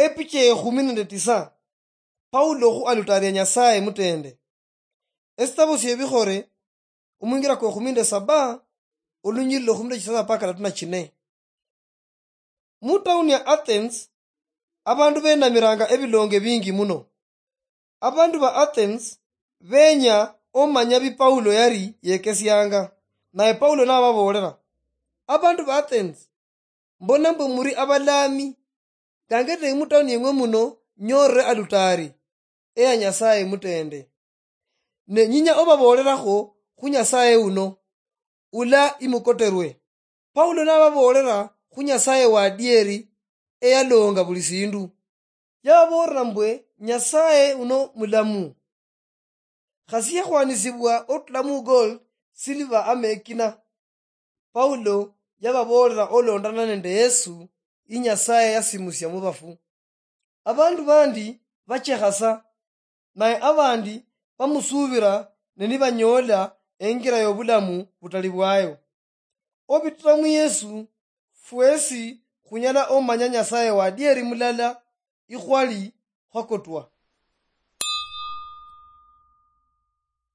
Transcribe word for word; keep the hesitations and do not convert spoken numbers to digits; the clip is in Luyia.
Epicha ekhumi nende tisa. Paulo khu alutari ya Nyasaye mutende. Esitabo siebikhore, omwingira kwa ekhumi nende saba, olunyiriri lwa ekhumi nende chisasa mpaka katatu na chine. Mu town ya Athens, abandu benamiranga ebilonge bingi muno. Abandu ba Athens benya omanya bi Paulo yari yekesianga, naye Paulo nababoolera, "Abandu ba Athens, mbona mbwe muri abalami, gange mu town yeng'we muno nyorere alutari eya Nyasaye mutende. Ne nyinya obaboolerakho khu Nyasaye uno, ula imukoterwe." Paulo nababoolera khu Nyasaye wa adieri eyalonga buli sindu. Yababoolera mbwe Nyasaye uno mulamu. Khasi yakhwanisibwa otula mu gold, silver ama ekina. Paulo yababoolera olondana nende Yesu, yi Nyasaye yasimusia mu bafu. Abandu bandi bachekha sa, naye abandi bamusuubira ne nibanyoola engira yobulamu butali bwayo. Obitira mu Yesu, fwesi khunyala omanya Nyasaye wa adieri mulala ikhwali khwakotwa.